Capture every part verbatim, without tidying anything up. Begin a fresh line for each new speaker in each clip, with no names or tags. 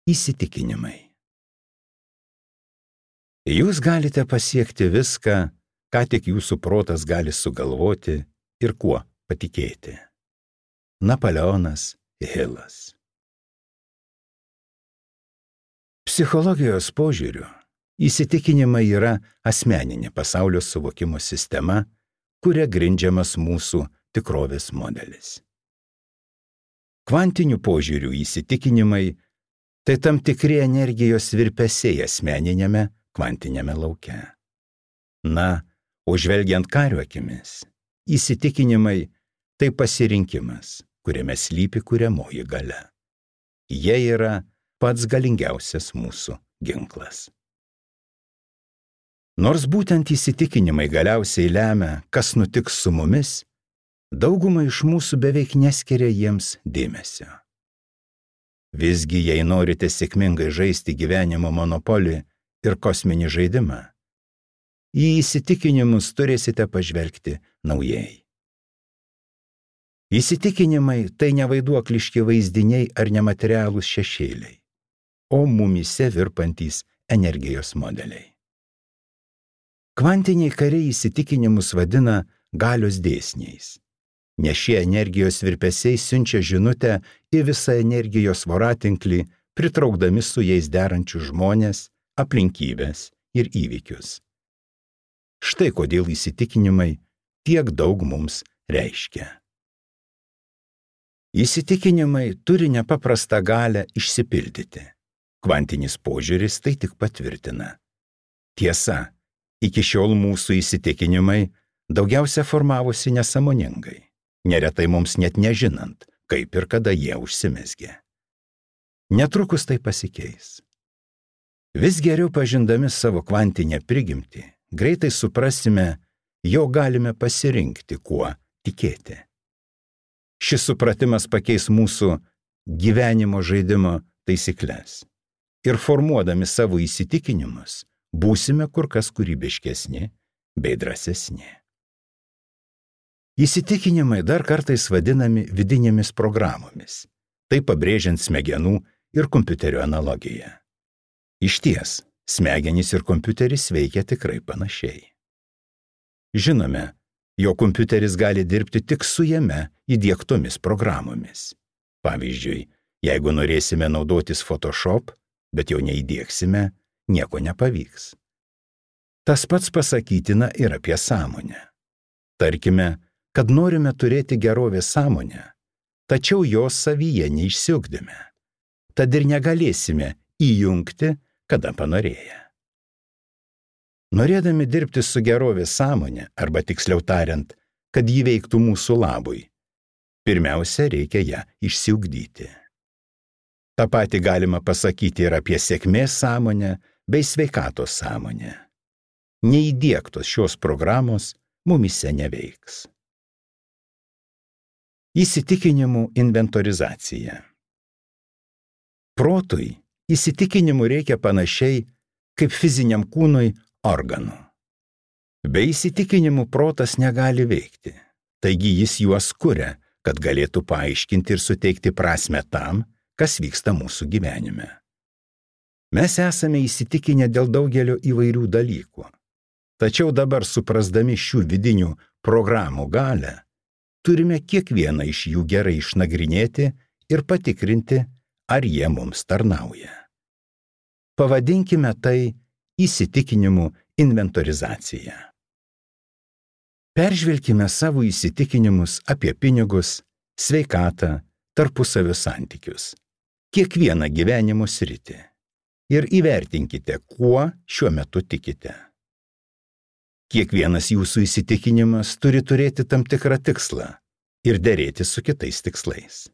Įsitikinimai. Jūs galite pasiekti viską, ką tik jūsų protas gali sugalvoti ir kuo patikėti. Napoleonas Hilas. Psichologijos požiūriu, įsitikinimai yra asmeninė pasaulio suvokimo sistema, kuria grindžiamas mūsų tikrovės modelis. Kvantinių požiūrių įsitikinimai tai tam tikri energijos virpesiai asmeninėme kvantiniame lauke. Na, o žvelgiant kario akimis, įsitikinimai tai pasirinkimas, kuriame slypi kuriamoji galia. Jie yra pats galingiausias mūsų ginklas. Nors būtent įsitikinimai galiausiai lemia, kas nutiks su mumis, dauguma iš mūsų beveik neskiria jiems dėmesio. Visgi, jei norite sėkmingai žaisti gyvenimo monopolį ir kosminį žaidimą, į įsitikinimus turėsite pažvelgti naujai. Įsitikinimai tai nevaiduokliški vaizdiniai ar nematerialūs šešėliai, o mumyse virpantys energijos modeliai. Kvantiniai kariai įsitikinimus vadina galios dėsniais, nes šie energijos virpesiai siunčia žinutę į visą energijos voratinklį, pritraukdami su jais derančius žmones, aplinkybes ir įvykius. Štai kodėl įsitikinimai tiek daug mums reiškia. Įsitikinimai turi nepaprastą galią išsipildyti. Kvantinis požiūris tai tik patvirtina. Tiesa, iki šiol mūsų įsitikinimai daugiausia formavosi nesąmoningai, neretai mums net nežinant, kaip ir kada jie užsimezgė. Netrukus tai pasikeis. Vis geriau pažindami savo kvantinę prigimtį, greitai suprasime, jog galime pasirinkti, kuo tikėti. Šis supratimas pakeis mūsų gyvenimo žaidimo taisyklės. Ir formuodami savo įsitikinimus, būsime kur kas kūrybiškesni bei drąsesni. Įsitikinimai dar kartais vadinami vidinėmis programomis, tai pabrėžiant smegenų ir kompiuterio analogiją. Išties, smegenys ir kompiuteris veikia tikrai panašiai. Žinome, jo kompiuteris gali dirbti tik su jame įdiegtomis programomis. Pavyzdžiui, jeigu norėsime naudotis Photoshop, bet jau neįdiegsime, nieko nepavyks. Tas pats pasakytina ir apie sąmonę. Tarkime, kad norime turėti gerovės sąmonę, tačiau jos savyje neišsiugdėme. Tad ir negalėsime įjungti, kada panorėję. Norėdami dirbti su gerovės sąmonė, arba tiksliau tariant, kad ji veiktų mūsų labui, pirmiausia, reikia ją išsiugdyti. Ta pati galima pasakyti ir apie sėkmės sąmonę bei sveikatos sąmonę. Neįdiegtos šios programos mumyse neveiks. Įsitikinimų inventorizacija. Protui įsitikinimų reikia panašiai kaip fiziniam kūnui organų. Be įsitikinimų protas negali veikti, taigi jis juos kuria, kad galėtų paaiškinti ir suteikti prasmę tam, kas vyksta mūsų gyvenime. Mes esame įsitikinę dėl daugelio įvairių dalykų, tačiau dabar suprasdami šių vidinių programų galią, turime kiekvieną iš jų gerai išnagrinėti ir patikrinti, ar jie mums tarnauja. Pavadinkime tai įsitikinimų inventorizacija. Peržvelkime savo įsitikinimus apie pinigus, sveikatą, tarpusavio santykius, kiekvieną gyvenimo sritį ir įvertinkite, kuo šiuo metu tikite. Kiekvienas jūsų įsitikinimas turi turėti tam tikrą tikslą ir derėti su kitais tikslais.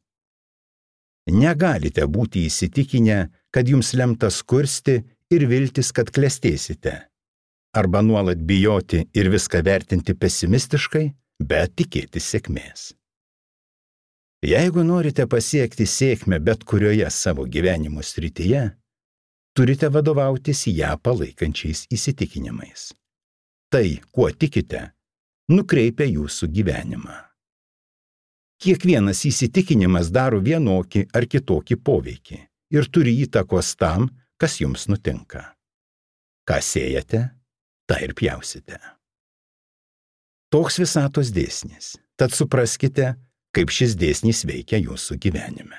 Negalite būti įsitikinę, kad jums lemta skursti ir viltis, kad klestėsite, arba nuolat bijoti ir viską vertinti pesimistiškai, bet tikėti sėkmės. Jeigu norite pasiekti sėkmę bet kurioje savo gyvenimo srityje, turite vadovautis ją palaikančiais įsitikinimais. Tai, kuo tikite, nukreipia jūsų gyvenimą. Kiekvienas įsitikinimas daro vienokį ar kitokį poveikį ir turi įtakos tam, kas jums nutinka. Ką sėjate, tą ir pjausite. Toks visatos dėsnis. Tad supraskite, kaip šis dėsnis veikia jūsų gyvenime.